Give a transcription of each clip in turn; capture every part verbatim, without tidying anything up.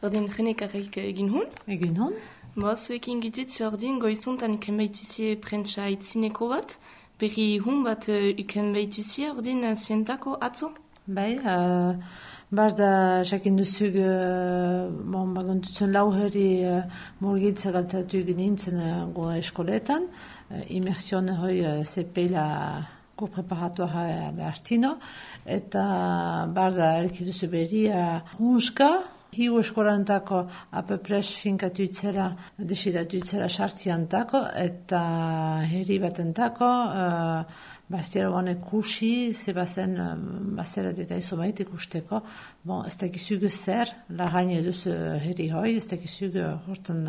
ordin jenekarrik egin hun. Egin hun. Boa, zuekin gititz ordin goizuntan uken behituzie prentsa itzineko bat, berri hun bat uken behituzie ordin zientako atzo? Bai, uh, baz da jakin duzug, uh, bon, baguntutzen lau herri uh, morgitza galtatu nintzen uh, goa eskoletan, uh, immersion hoi uh, zepela go preparatoa l'artino, eta baz da erkiduzu berri uh, hunska, hiu eskolantako apepres finkatu itzera, desidatu itzera sartziantako, eta herri batentako, uh, Bastiera honek kursi, ze bazen, bazera deta izo maite ikusteko. Bon, ez dakizugu zer, lagaine duz herri hoi, ez dakizugu hortan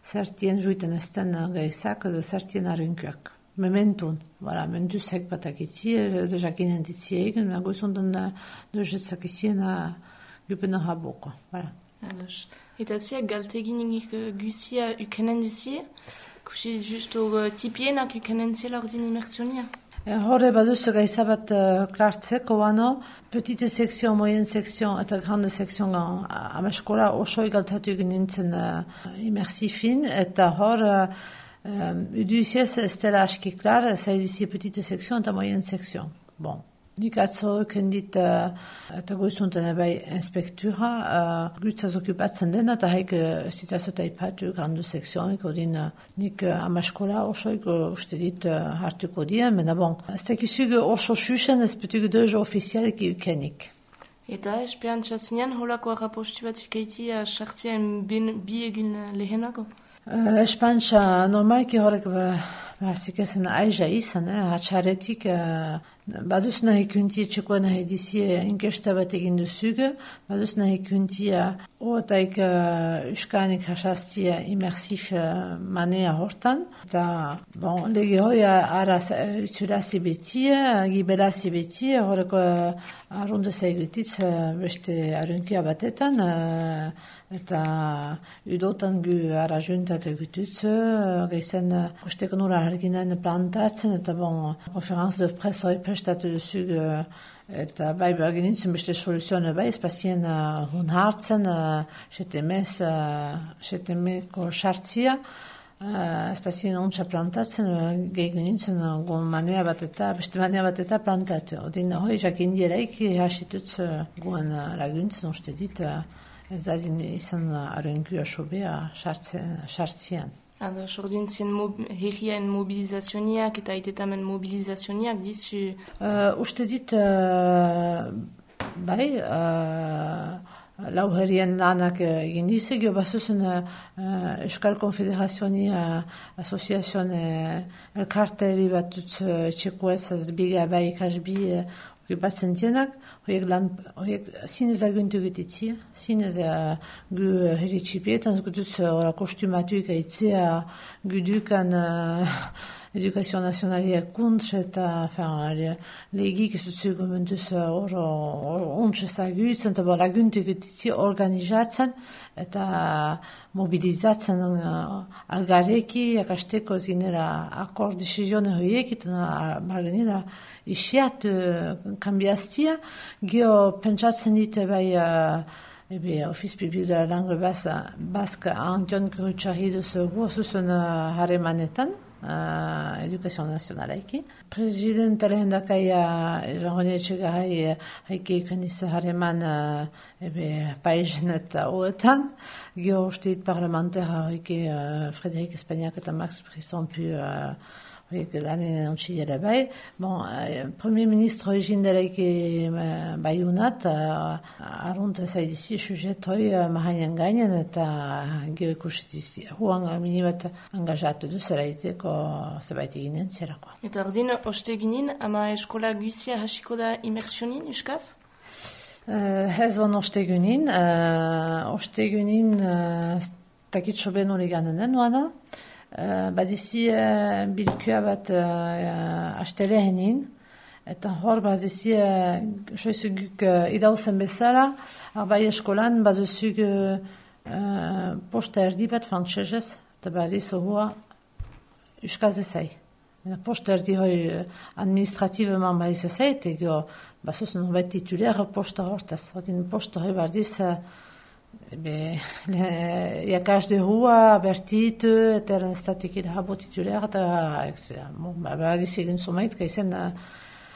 zertien juiten ezten gaizak, edo zertien arunkuak. Mementun, voilà, mentuzek batakitzi, de jakinen ditzi egin, goizundan dozetzak izien gupena haboko, voilà. Ados. Eta ziak galteginik guzia ukenen duzie? Kusi justo tipienak ukenen ziela ordin immersionia? Horre baduzu gaizabat uh, klartzeko bano, petite sekzion, moyen sekzion eta grande sekzion amaskola osoi galtatu egin nintzen uh, immersifin, eta hor uh, um, uduziez ez dela aski klar, zaidizi petite sekzion eta moyen sekzion. Bon. Nik atzo kendit uh, eta goizuntan ebai inspektura, uh, gutzaz okupatzen dena, eta haik uh, zitazota ipatu grandu sekzionik, odin uh, nik uh, amaskola osoik uh, uste dit uh, hartuko dien, mena bon, ez tekizug oso xuxen ez petuk deus ofizialik ukenik. Eta esperantza zinean holako arrapostu bat ukaiti sartzien bi egin lehenako? Uh, Espantza normalki horrek ba, ba zikezen aiza izan, eh, hatxaretik uh, baduz nahi kunti txekoa nahi dizie inkesta bat egin duzuge, baduz nahi kuntia oataik uh, uskanik hasaztia immersif uh, manea hortan, eta bon, lege hoi ara utzurazi betie, gibelazi betie, horreko uh, arrunde zaigutitz uh, beste arunkia batetan, uh, eta udotan gu ara juntat egututz, uh, gaizen uh, kusteko nura arginen plantatzen, eta bon, konferanz de presse hoi prestatu duzug, uh, eta bai berginitzen beste soluzioa bai, espazien uh, hun hartzen, uh, setemez, uh, setemeko sartzia, uh, espazien ontsa plantatzen, uh, gehiago nintzen uh, gon manea bat eta, beste manea bat eta plantatu. Odin hoi jakin dieraik hasitutz uh, goen uh, laguntzen, uste dit, uh, ez dadin izan uh, arengua sobea sartzian. Ados, ordin zien mob, herrien mobilizazioniak eta aitetamen mobilizazioniak dizu? Uh, uste dit, uh, bai, uh, lau herrien lanak egin dize, gio basuzun uh, Euskal Konfederazionia Asoziazion uh, elkarteri bat dut uh, txekuez, biga bai ikasbi uh, okupatzen dienak, horiek lan, horiek zinez aguntu gutitzi, zinez uh, gu uh, herri txipietan, zgutuz uh, kostumatuik aitzea gu dukan uh, edukazio nazionaliak kuntz eta legik ez dutzu gomentuz hor ontsa zagutzen, eta laguntu gutitzi organizatzen eta mobilizatzen uh, algareki, akasteko zinera akord desizione horiek, eta margenera isiat uh, kambiaztia, gio pentsatzen dite bai uh, ebe Office Public de la Langue Basque Antion Kurutxarri duzu guazuzun uh, haremanetan, uh, edukazio nazionalaiki. Presidenta lehendakaia Jean-René Etxegarai haike ikaniz hareman uh, ebe paizen eta hoetan, gio ustit parlamentera haike uh, Frédéric Espagnac eta Max Brisson pu uh, horiek lanen ontsidera bai. Bon, eh, Premier Ministro egin delaik eh, baiunat, uh, arrunt zaidizi sujet hoi uh, mahainen gainen, eta gero ikusitizi. Huan minibat angajatu duzera iteko zebait eginen zerako. Eta ordin, oste ginen, ama eskola guzia hasiko da immersionin, euskaz? Uh, ez on oste ginen, uh, oste ginen uh, takitxo ben hori ganen nuana, Uh, badizi uh, bilkua bat uh, astelehenin, eta hor badizi uh, soizuguk uh, idauzen bezala, arbai eskolan baduzug uh, posta erdi bat frantsesez, eta badizu hua euskaz ezai. Posta erdi hoi administrativeman badiz ezai, eta gero basuz nubait titulera posta hortaz. Odin posta hoi badiz uh, Ebe, iakash de hua, bertit, eta eran estatik irahabo titular, eta badiz egin zumait, gaizen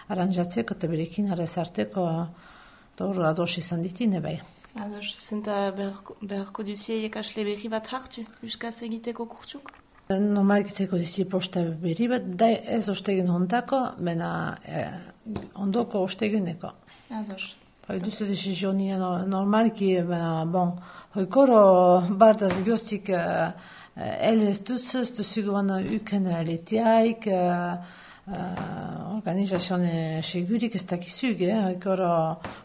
aranjatzeko eta berekin arrezarteko, eta hor ados izan ditine bai. Ados, zenta beharko duzie iakasle berri bat hartu, euskaz egiteko kurtsuk? Normalik izeko dizi posta berri bat, da ez ostegin hontako, mena ondoko osteguneko. Ados. Hoi duzu desizionia normalki, bon, hoikoro bardaz goztik elez duz, ez duzuguan uken letiaik, organizazione segurik ez dakizug, hoikoro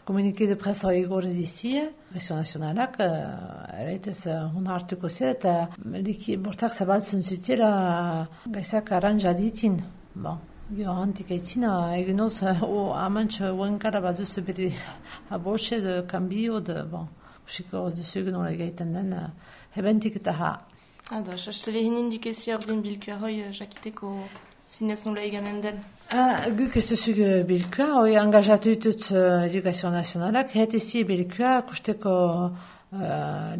komunike de presa hoi gore dizie, presio nazionalak, eraitez hon hartuko zira, eta bortak zabaltzen zutira gaizak aranja ditin, bon. Jo, antika itzina, eginoz, amantx uenkara bat duzu beri abose de kambio, de, bon, usiko duzu egun gaiten den, hebentik eta ha. Ados, hastele hinin dukezi ordin bilkua hoi jakiteko zinez nola eganen den? Guk ez duzu bilkua, hoi angajatu ditut edukazio nazionalak, hetezi bilkua kusteko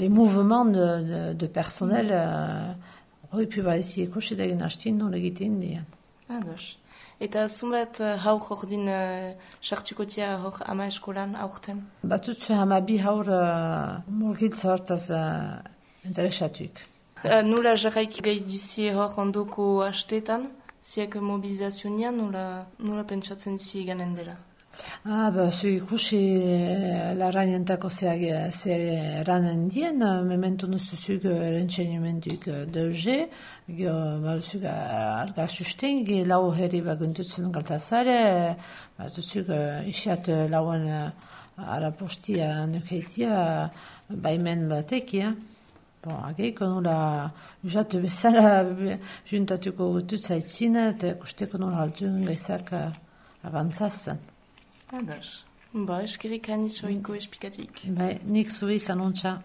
les mouvements de, de, de personnel, hoi piba ezi ekusi degin hastin nola egiten dian. Ados. Eta zunbat haur ordin sartuko tia hor ama eskolan aurten? Batutzu hama bi haur murgiltza hortaz interesatuik. Nola jarraiki gai duzie hor ondoko hastetan, ziak mobilizazionian, nola, nola pentsatzen duzie eganen dela? Ah, ba, zu ikusi larrainentako zer ranen dien, memento nuzuzuk rentsenimentuk deuze, ba, zuk algar susten, lau herri baguntutzen galtazare, ba, zuk isiat lauen arapostia nukeitia, baimen batekia. Bon, ageiko nola usatu bezala juntatuko gutut zaitzina, eta kusteko nola altu gaizak avantzazten. Ados. Ba, eskerik anitz oiko espikatik. Bai, nik zui zanontza.